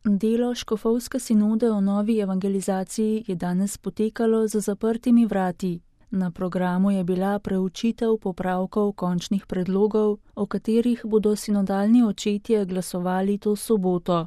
Delo škofovske sinode o novi evangelizaciji je danes potekalo za zaprtimi vrati. Na programu je bila preučitev popravkov končnih predlogov, o katerih bodo sinodalni očetje glasovali to soboto.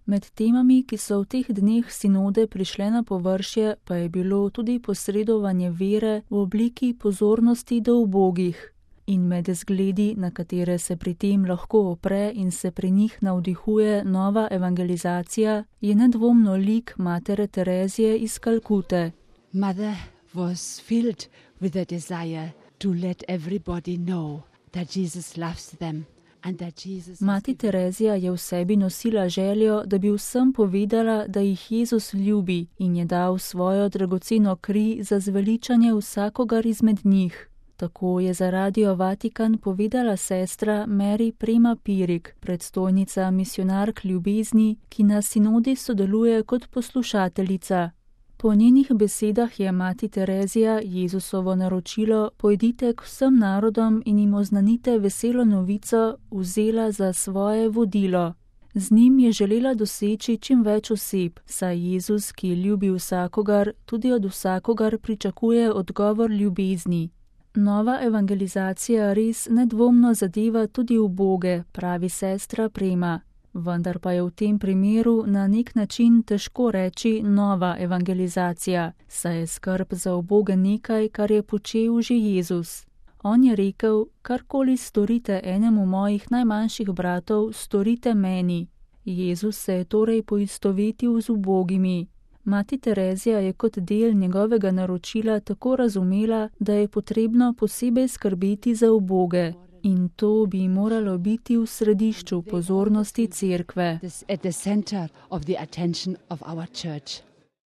Med temami, ki so v teh dneh sinode prišle na površje, pa je bilo tudi posredovanje vere v obliki pozornosti do ubogih. In med zgledi, na katere se pri tem lahko opre in se pri njih navdihuje nova evangelizacija, je nedvomno lik matere Terezije iz Kalkute. Mother was filled with a desire to let everybody know that Jesus loves them and that Jesus. Mati Terezija je v sebi nosila željo, da bi vsem povedala, da jih Jezus ljubi in je dal svojo dragoceno kri za zveličanje vsakogar izmed njih. Tako je za Radio Vatikan povedala sestra Mary Prema Pirik, predstojnica misionark ljubezni, ki na sinodi sodeluje kot poslušateljica. Po njenih besedah je mati Terezija Jezusovo naročilo pojdite k vsem narodom in jim oznanite veselo novico vzela za svoje vodilo. Z njim je želela doseči čim več oseb, saj Jezus, ki ljubi vsakogar, tudi od vsakogar pričakuje odgovor ljubezni. Nova evangelizacija res nedvomno zadeva tudi uboge, pravi sestra Prema. Vendar pa je v tem primeru na nek način težko reči nova evangelizacija, saj je skrb za uboge nekaj, kar je počel že Jezus. On je rekel, karkoli storite enemu mojih najmanjših bratov, storite meni. Jezus se je torej poistovetil z ubogimi. Mati Terezija je kot del njegovega naročila tako razumela, da je potrebno posebej skrbeti za uboge. In to bi moralo biti v središču pozornosti cerkve. At the center of the attention of our church.